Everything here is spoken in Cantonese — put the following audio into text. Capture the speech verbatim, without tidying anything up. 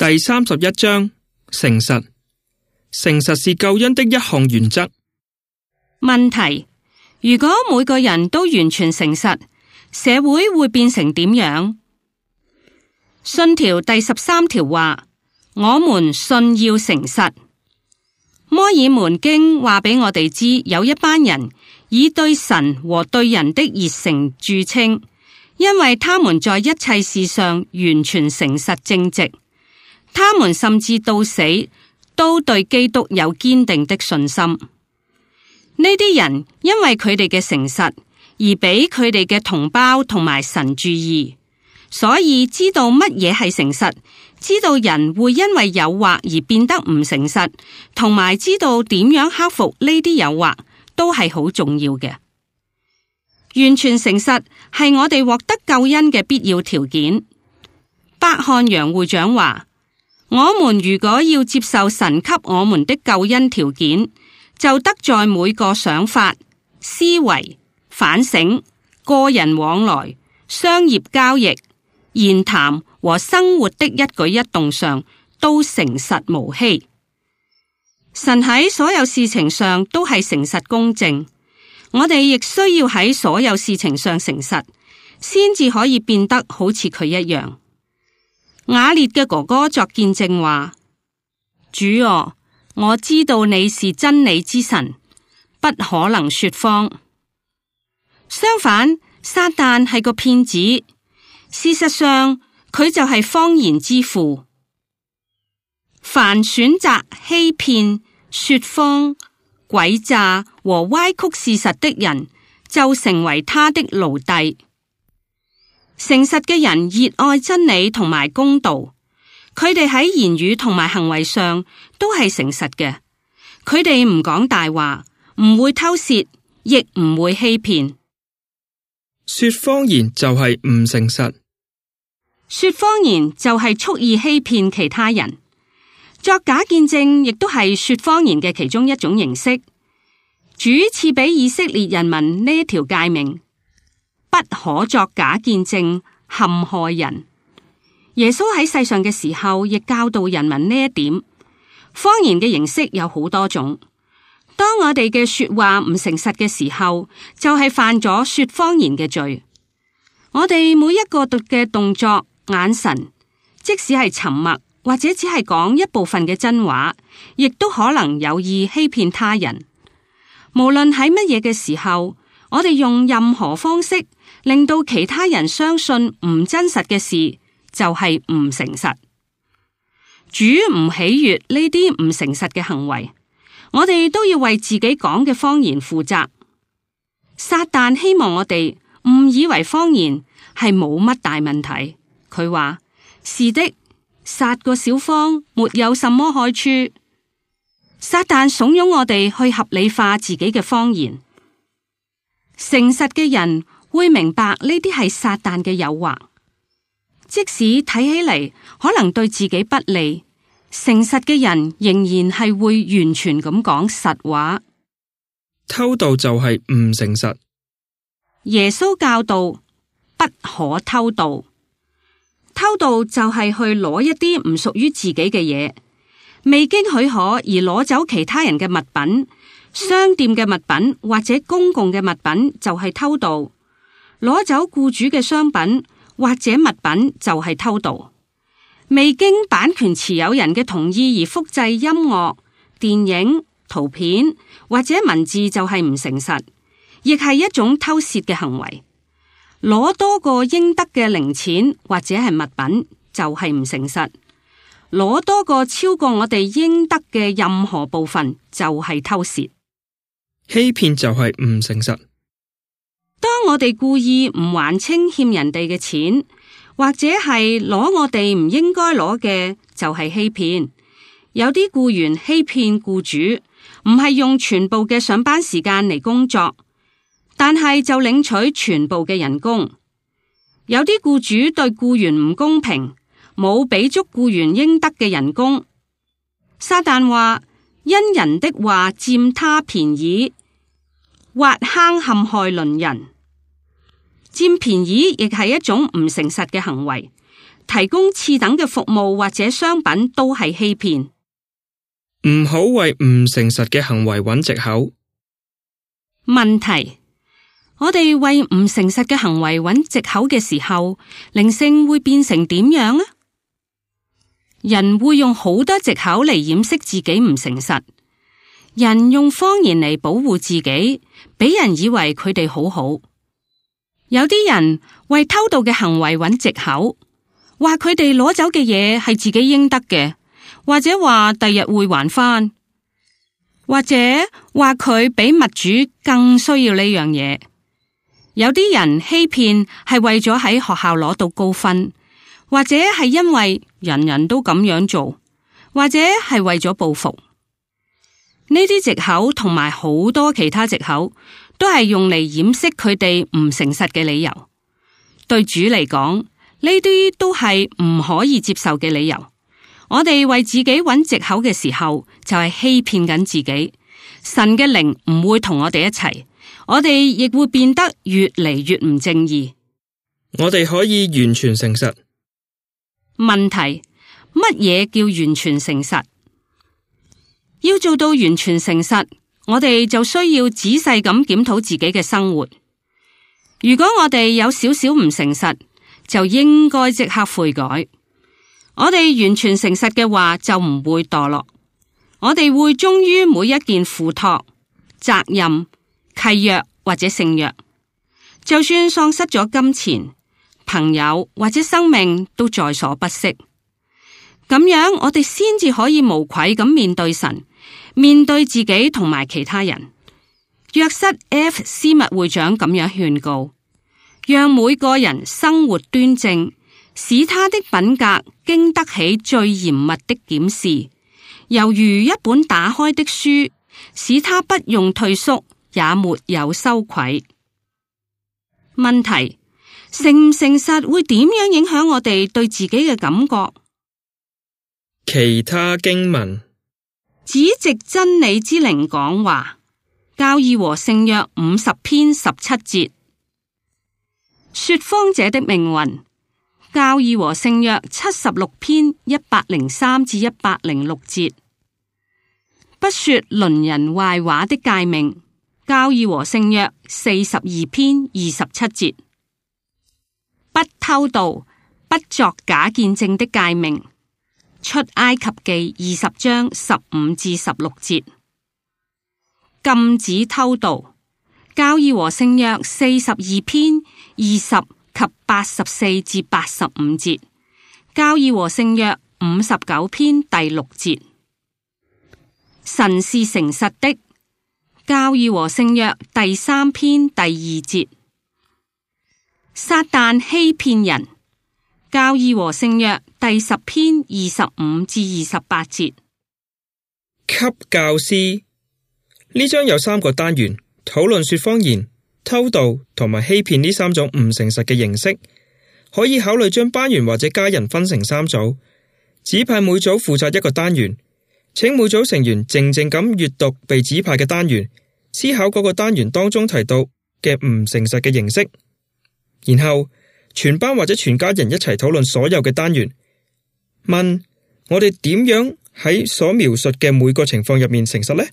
第三十一章，誠實。誠實是救恩的一項原則。問題：如果每個人都完全誠實，社會會變成點樣？信條第十三條話：我們信要誠實。摩爾門經話俾我哋知，有一班人以對神和對人的熱誠著稱，因為他們在一切事上完全誠實正直，他們甚至到死都對基督有堅定的信心。呢啲人因為佢哋嘅誠實而俾佢哋嘅同胞同埋神注意，所以知道乜嘢係誠實，知道人會因為誘惑而變得唔誠實，同埋知道點樣克服呢啲誘惑，都係好重要嘅。完全誠實係我哋獲得救恩嘅必要條件。伯漢楊會長話：我們如果要接受神給我們的救恩條件，就得在每個想法、思維、反省、個人往來、商業交易、言談和生活的一舉一動上都誠實無欺。神喺所有事情上都係誠實公正，我哋亦需要喺所有事情上誠實，先至可以變得好似佢一樣。雅烈嘅哥哥作見證話：主啊，我知道你是真理之神，不可能說謊。相反，撒旦係個騙子，事實上佢就係謊言之父。凡選擇欺騙、說謊、詭詐和歪曲事實的人，就成為他的奴隸。誠實嘅人熱愛真理同埋公道，佢哋喺言語同埋行為上都係誠實嘅。佢哋唔講大話，唔會偷竊，亦唔會欺騙。說謊言就係唔誠實。說謊言就係蓄意欺騙其他人。作假見證亦都係說謊言嘅其中一種形式。主賜俾以色列人民呢一條誡命：不可作假見證，陷害人。耶穌喺世上嘅時候，亦教導人民呢一點。謊言嘅形式有好多種。當我哋嘅說話唔誠實嘅時候，就係犯咗說謊言嘅罪。我哋每一個嘅動作、眼神，即使係沉默或者只係講一部分嘅真話，亦都可能有意欺騙他人。無論喺乜嘢嘅時候，我哋用任何方式令到其他人相信唔真實嘅事，就係唔誠實。主唔喜悅呢啲唔誠實嘅行為，我哋都要為自己講嘅謊言負責。撒旦希望我哋誤以為謊言係冇乜大問題。佢話：是的，撒個小謊沒有什麼害處。撒旦慫恿我哋去合理化自己嘅謊言。誠實嘅人會明白呢啲係撒旦嘅誘惑，即使睇起嚟可能對自己不利，誠實嘅人仍然係會完全咁講實話。偷盜就係唔誠實。耶穌教導不可偷盜，偷盜就係去攞一啲唔屬於自己嘅嘢，未經許可而攞走其他人嘅物品。商店嘅物品或者公共嘅物品就係偷盜，攞走僱主嘅商品或者物品就係偷盜。未經版權持有人嘅同意而複製音樂、電影、圖片或者文字就係唔誠實，亦係一種偷竊嘅行為。攞多個應得嘅零錢或者係物品就係唔誠實，攞多個超過我哋應得嘅任何部分就係偷竊。欺騙就係唔誠實。當我哋故意唔還清欠人哋嘅錢，或者係攞我哋唔應該攞嘅，就係欺騙。有啲僱員欺騙僱主，唔係用全部嘅上班時間嚟工作，但係就領取全部嘅人工。有啲僱主對僱員唔公平，冇俾足僱員應得嘅人工。撒旦話：因人的話佔他便宜，挖坑陷害鄰人。佔便宜亦係一種唔誠實嘅行為，提供次等嘅服務或者商品都係欺騙。唔好為唔誠實嘅行為揾藉口。問題：我哋為唔誠實嘅行為揾藉口嘅時候，靈性會變成點樣啊？人會用好多藉口嚟掩飾自己唔誠實。人用謊言嚟保護自己，俾人以為佢哋好好。有啲人為偷盜嘅行為揾藉口，話佢哋攞走嘅嘢係自己應得嘅，或者話第日會還返，或者話佢比物主更需要呢樣嘢。有啲人欺騙係為咗喺學校攞到高分，或者係因為人人都咁樣做，或者係為咗報復。呢啲藉口同埋好多其他藉口，都係用嚟掩飾佢哋唔誠實嘅理由。對主嚟講，呢啲都係唔可以接受嘅理由。我哋為自己揾藉口嘅時候，就係欺騙緊自己。神嘅靈唔會同我哋一齊，我哋亦會變得越嚟越唔正義。我哋可以完全誠實。問題：乜嘢叫完全誠實？要做到完全誠實，我哋就需要仔細咁檢討自己嘅生活。如果我哋有少少唔誠實，就應該即刻悔改。我哋完全誠實嘅話，就唔會墮落。我哋會忠於每一件付託、責任、契約或者聖約，就算喪失咗金錢、朋友或者生命，都在所不惜。咁樣我哋先至可以無愧咁面對神，面對自己同埋其他人。約瑟 F 斯密會長咁樣勸告，讓每個人生活端正，使他的品格經得起最嚴密的檢視，猶如一本打開的書，使他不用退縮，也沒有羞愧。問題：誠唔誠實會點樣影響我哋對自己嘅感覺？其他經文：只藉真理之靈講話，教義和聖約五十篇十七節。說謊者的命運，教義和聖約七十六篇一百零三至一百零六節。不說鄰人壞話的誡命，教義和聖約四十二篇二十七節。不偷盜，不作假見證的誡命，出埃及記二十章十五至十六節。禁止偷盜，教義和聖約四十二篇二十及八十四至八十五節。教義和聖約五十九篇第六節。神是誠實的，教義和聖約第三篇第二節。撒旦欺騙人，教義和聖約第十篇二十五至二十八節。給教師，呢章有三個單元，討論說謊言、偷盜同埋欺騙呢三種唔誠實嘅形式。可以考慮將班員或者家人分成三組，指派每組負責一個單元，請每組成員靜靜咁閱讀被指派嘅單元，思考嗰個單元當中提到嘅唔誠實嘅形式，然後全班或者全家人一齊討論所有嘅單元，問我哋點樣喺所描述嘅每個情況入面誠實呢？